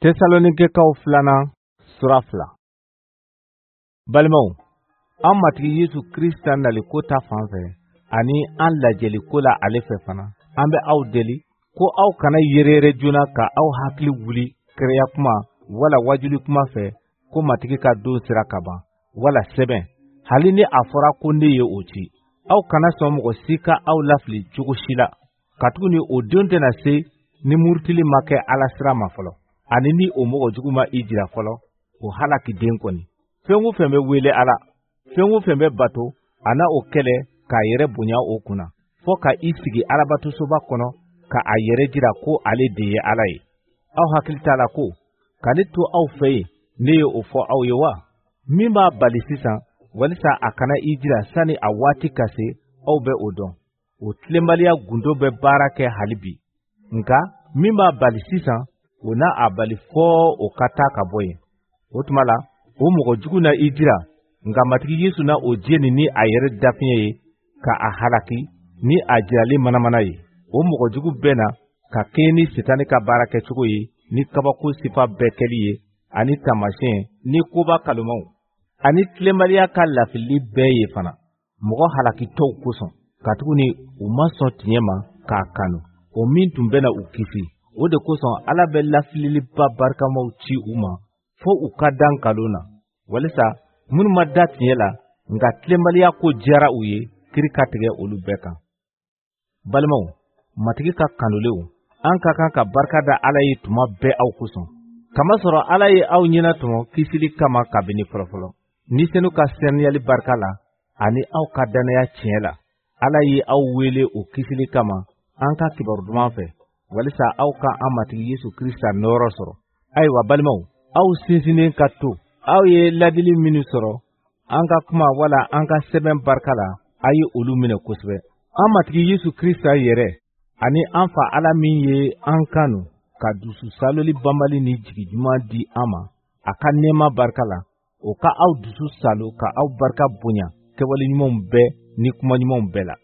Tesalonikɛkaw filanan sura 2. Balimaw, an Matigi Yesu Krista naliko ta fan fɛ ani an lajɛli ko la ale fɛ fana, an bɛ aw deli ko aw kana yereyere joona ka aw hakili wuli kɛrɛya kuma wala wajuli kuma fɛ ko Matigi ka don sera ka ban, wala sɛbɛn, hali ni a fɔra ko ne ye o ci. Aw kana sɔn mɔgɔ si ka aw lafili cogo si la, katuguni o don tɛna se ni murutili ma kɛ Ala sira ma fɔlɔ, ani ni o mɔgɔ jugu ma i jira fɔlɔ, o halakiden kɔni. Fɛn o fɛn bɛ wele Ala, fɛn o fɛn bɛ bato, a na o kɛlɛ k'a yɛrɛ bonya o kunna, fɔ ka i sigi Alabatosoba kɔnɔ ka a yɛrɛ jira ko ale de ye Ala ye. Aw hakili t'a la ko ka ne to aw fɛ yen, ne ye o fɔ aw ye wa? Min b'a bali sisan walisa a kana i jira sani a waati ka se, aw bɛ o dɔn. O tilenbaliya gundo bɛ baara kɛ hali bi, nka min b'a bali sisan, o na a bali fɔ o ka taa ka bɔ yen. O tuma la, o mɔgɔ jugu na i jira, nka Matigi Yesu na o jeni ni a yɛrɛ dafiɲɛ ye ka a halaki ni a jirali manamana ye. O mɔgɔ jugu bɛ na ka kɛɲɛ ni Sitani ka baara kɛcogo ye, ni kabako sifa bɛɛ kɛli ye, ani taamasiyɛn ni koba kalomaw, ani tilenbaliya ka lafilili bɛɛ ye fana, mɔgɔ halakitɔw kosɔn, katuguni u ma sɔn tiɲɛ ma k'a kanu, o min tun bɛna u kisi. O de kosɔn Ala bɛ lafililiba barikamaw ci u ma fo u ka da nkalon na, walisa minnu ma da tiɲɛ la, nka tilenbaliya ko diyara u ye, kiri ka tigɛ olu bɛɛ kan. Balimaw, Matigi ka kanulenw, an ka kan ka barika da Ala ye tuma bɛɛ aw kosɔn, kamasɔrɔ Ala ye aw ɲɛnatɔmɔ kisili kama kabini fɔlɔfɔlɔ, Ni Senu ka saniyali barika la ani aw ka dannaya tiɲɛ la. Ala ye aw wele o kisili kama an ka kibaru duman fɛ, walisa aw ka an Matigi Yesu Krista nɔɔrɔ sɔrɔ. Ayiwa balimaw, aw sinsinnen ka to. Aw ye ladili minnu sɔrɔ an ka kuma wala an ka sɛbɛn barika la, a ye olu minɛ kosɛbɛ. An Matigi Yesu Krista yɛrɛ ani an Fa Ala min ye an kanu ka dusu saaloli banbali ni jigi ɲuman di an ma a ka nɛɛma barika la, o ka aw dusu saalo ka aw barika bonya kɛwale ɲumanw bɛɛ ni kuma ɲumanw bɛɛ la.